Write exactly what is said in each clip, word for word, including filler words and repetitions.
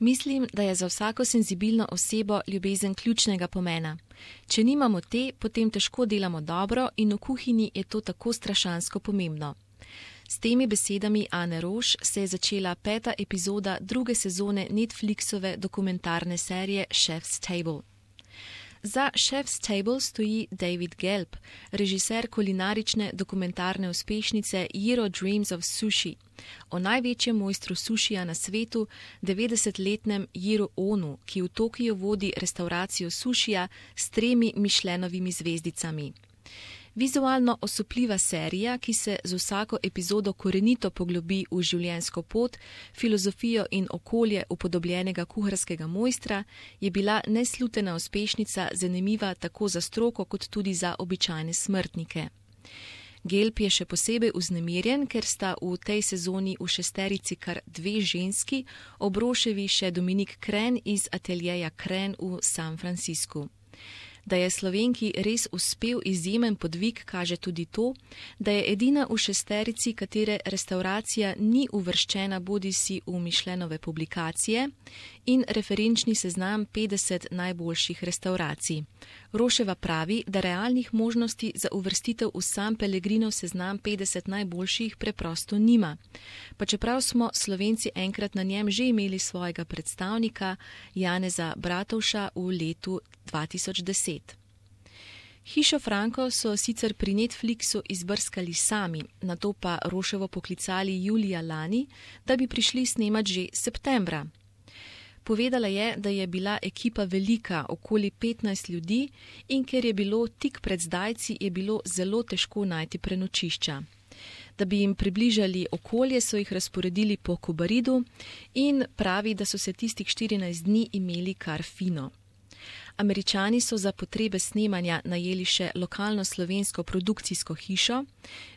Mislim, da je za vsako senzibilno osebo ljubezen ključnega pomena. Če nimamo te, potem težko delamo dobro in v kuhinji je to tako strašansko pomembno. S temi besedami Ane Roš se je začela peta epizoda druge sezone Netflixove dokumentarne serije Chef's Table. Za Chef's Table stoji David Gelb, režiser kulinarične dokumentarne uspešnice Jiro Dreams of Sushi, o največjem mojstru sušija na svetu, devetdesetletnem Jiru Onu, ki v Tokiju vodi restauracijo sušija s tremi Michelinovimi zvezdicami. Vizualno osupljiva serija, ki se z vsako epizodo korenito poglobi v življenjsko pot, filozofijo in okolje upodobljenega kuharskega mojstra, je bila neslutena uspešnica, zanimiva tako za stroko kot tudi za običajne smrtnike. Gelb je še posebej vznemirjen, ker sta v tej sezoni v šesterici kar dve ženski, ob Roševi še Dominik Kren iz ateljeja Kren v San Franciscu. Da je Slovenki res uspel izjemen podvig, kaže tudi to, da je edina v šesterici, katere restauracija ni uvrščena bodisi v Michelinove publikacije in referenčni seznam petdeset najboljših restauracij. Roševa pravi, da realnih možnosti za uvrstitev v San Pellegrinov seznam petdeset najboljših preprosto nima. Pa čeprav smo Slovenci enkrat na njem že imeli svojega predstavnika, Janeza Bratovša, v letu dva tisoč deset. Hišo Franko so sicer pri Netflixu izbrskali sami, nato pa Roševo poklicali julija lani, da bi prišli snemat že septembra. Povedala je, da je bila ekipa velika, okoli petnajst ljudi, in ker je bilo tik pred zdajci, je bilo zelo težko najti prenočišča. Da bi jim približali okolje, so jih razporedili po Kobaridu in pravi, da so se tistih štirinajst dni imeli kar fino. Američani so za potrebe snemanja najeli še lokalno slovensko produkcijsko hišo,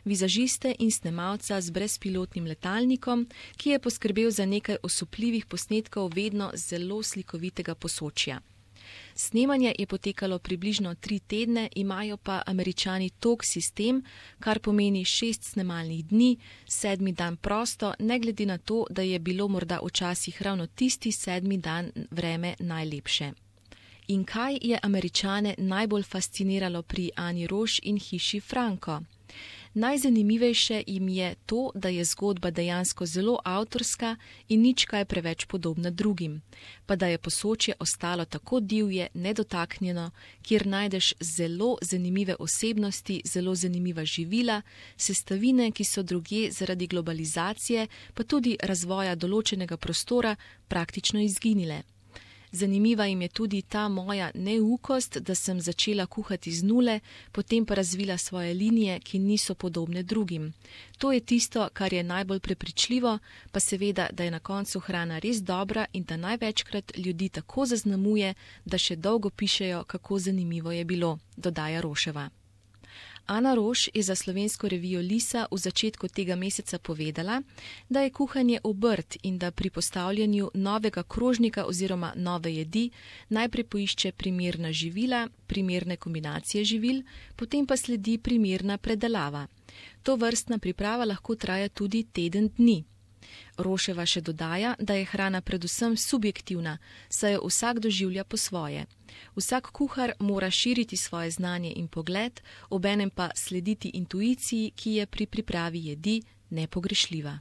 vizažiste in snemalca z brezpilotnim letalnikom, ki je poskrbel za nekaj osupljivih posnetkov vedno zelo slikovitega posočja. Snemanje je potekalo približno tri tedne, imajo pa Američani tog sistem, kar pomeni šest snemalnih dni, sedmi dan prosto, ne glede na to, da je bilo morda včasih ravno tisti sedmi dan vreme najlepše. In kaj je Američane najbolj fasciniralo pri Ani Roš in hiši Franko? Najzanimivejše jim je to, da je zgodba dejansko zelo avtorska in nič kaj preveč podobna drugim, pa da je posočje ostalo tako divje, nedotaknjeno, kjer najdeš zelo zanimive osebnosti, zelo zanimiva živila, sestavine, ki so drugje zaradi globalizacije, pa tudi razvoja določenega prostora praktično izginile. Zanimiva jim je tudi ta moja neukost, da sem začela kuhati z nule, potem pa razvila svoje linije, ki niso podobne drugim. To je tisto, kar je najbolj prepričljivo, pa seveda, da je na koncu hrana res dobra in da največkrat ljudi tako zaznamuje, da še dolgo pišejo, kako zanimivo je bilo, dodaja Roševa. Ana Roš je za slovensko revijo Lisa v začetku tega meseca povedala, da je kuhanje obrt in da pri postavljanju novega krožnika oziroma nove jedi najprej poišče primerna živila, primerne kombinacije živil, potem pa sledi primerna predelava. To vrstna priprava lahko traja tudi teden dni. Roševa še dodaja, da je hrana predvsem subjektivna, saj jo vsak doživlja po svoje. Vsak kuhar mora širiti svoje znanje in pogled, obenem pa slediti intuiciji, ki je pri pripravi jedi nepogrešljiva.